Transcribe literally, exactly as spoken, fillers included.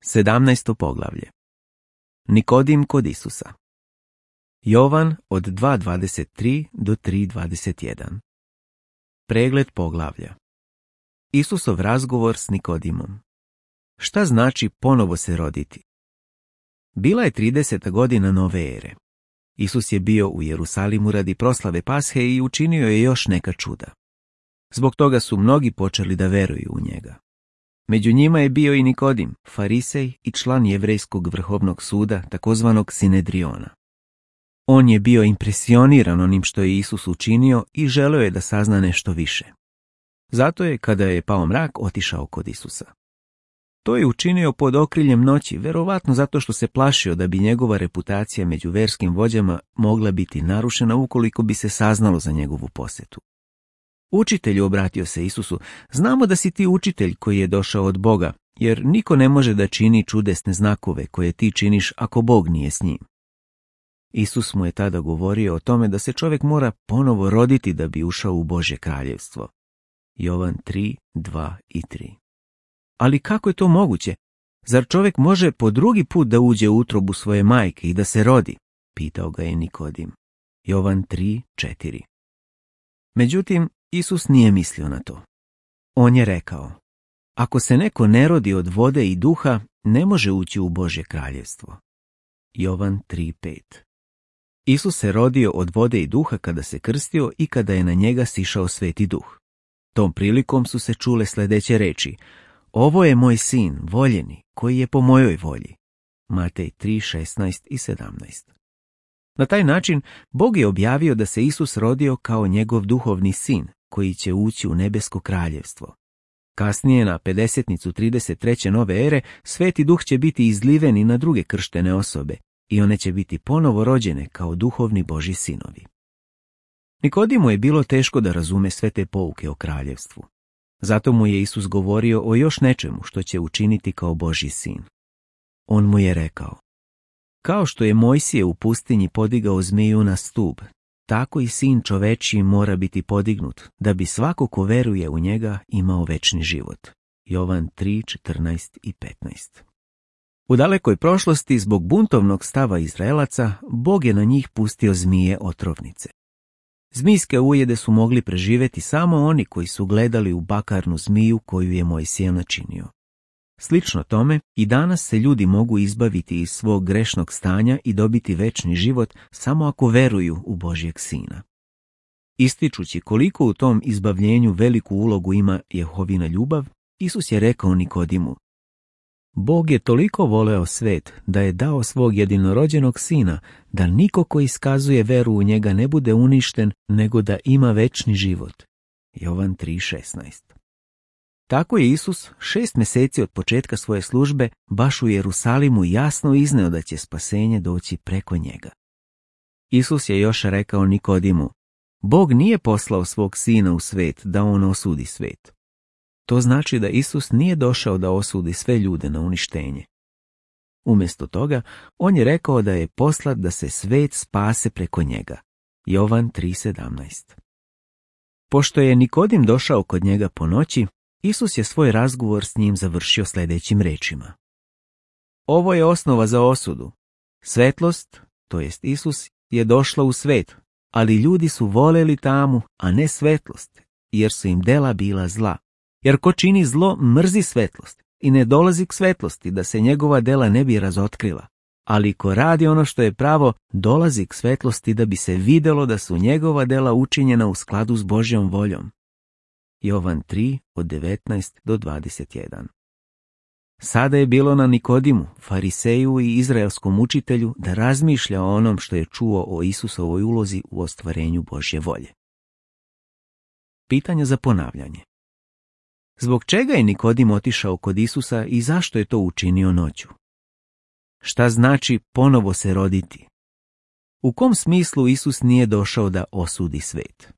Sedamnaesto poglavlje. Nikodim kod Isusa. Jovan od dva dvadeset tri do tri dvadeset jedan. Pregled poglavlja. Isusov razgovor s Nikodimom. Šta znači ponovo se roditi? Bila je trideseta godina nove ere. Isus je bio u Jerusalimu radi proslave Pashe i učinio je još neka čuda. Zbog toga su mnogi počeli da veruju u njega. Među njima je bio i Nikodim, farisej i član jevrejskog vrhovnog suda, takozvanog Sinedriona. On je bio impresioniran onim što je Isus učinio i želeo je da sazna nešto više. Zato je, kada je pao mrak, otišao kod Isusa. To je učinio pod okriljem noći, verovatno zato što se plašio da bi njegova reputacija među verskim vođama mogla biti narušena ukoliko bi se saznalo za njegovu posetu. Učitelju, obratio se Isusu, znamo da si ti učitelj koji je došao od Boga, jer niko ne može da čini čudesne znakove koje ti činiš ako Bog nije s njim. Isus mu je tada govorio o tome da se čovjek mora ponovo roditi da bi ušao u Božje kraljevstvo. Jovan tri, dva i tri. Ali kako je to moguće? Zar čovjek može po drugi put da uđe u utrobu svoje majke i da se rodi? Pitao ga je Nikodim. Jovan tri, četiri. Međutim, Isus nije mislio na to. On je rekao, ako se neko ne rodi od vode i duha, ne može ući u Božje kraljevstvo. Jovan tri, pet. Isus se rodio od vode i duha kada se krstio i kada je na njega sišao Sveti Duh. Tom prilikom su se čule sljedeće reči, ovo je moj sin, voljeni, koji je po mojoj volji. Matej tri, šesnaest i sedamnaest. Na taj način Bog je objavio da se Isus rodio kao njegov duhovni sin, koji će ući u nebesko kraljevstvo. Kasnije, na pedesetnicu trideset treće nove ere, Sveti Duh će biti izliven i na druge krštene osobe i one će biti ponovo rođene kao duhovni Božji sinovi. Nikodimu je bilo teško da razume sve te pouke o kraljevstvu. Zato mu je Isus govorio o još nečemu što će učiniti kao Božji sin. On mu je rekao, kao što je Mojsije u pustinji podigao zmiju na stub, tako i sin čovečji mora biti podignut, da bi svako ko veruje u njega imao večni život. Jovan tri, četrnaest i petnaest. U dalekoj prošlosti, zbog buntovnog stava Izraelaca, Bog je na njih pustio zmije otrovnice. Zmijske ujede su mogli preživjeti samo oni koji su gledali u bakarnu zmiju koju je Mojsije načinio. Slično tome, i danas se ljudi mogu izbaviti iz svog grešnog stanja i dobiti večni život samo ako veruju u Božjeg Sina. Ističući koliko u tom izbavljenju veliku ulogu ima Jehovina ljubav, Isus je rekao Nikodimu, Bog je toliko voleo svet da je dao svog jedinorođenog sina, da niko ko iskazuje veru u njega ne bude uništen, nego da ima večni život. Jovan tri, šesnaest. Tako je Isus šest mjeseci od početka svoje službe baš u Jerusalimu jasno izneo da će spasenje doći preko njega. Isus je još rekao Nikodimu, Bog nije poslao svog sina u svet da on osudi svet. To znači da Isus nije došao da osudi sve ljude na uništenje. Umjesto toga, on je rekao da je poslat da se svet spase preko njega. Jovan tri, sedamnaest. Pošto je Nikodim došao kod njega po noći, Isus je svoj razgovor s njim završio sljedećim rečima. Ovo je osnova za osudu. Svetlost, to jest Isus, je došla u svet, ali ljudi su voljeli tamu, a ne svetlost, jer su im dela bila zla. Jer ko čini zlo, mrzi svetlost i ne dolazi k svetlosti da se njegova dela ne bi razotkrila. Ali ko radi ono što je pravo, dolazi k svetlosti da bi se vidjelo da su njegova dela učinjena u skladu s Božjom voljom. Jovan tri, od devetnaest do dvadeset jedan. Sada je bilo na Nikodimu, fariseju i izraelskom učitelju, da razmišlja o onom što je čuo o Isusovoj ulozi u ostvarenju Božje volje. Pitanja za ponavljanje. Zbog čega je Nikodim otišao kod Isusa i zašto je to učinio noću? Šta znači ponovo se roditi? U kom smislu Isus nije došao da osudi svet?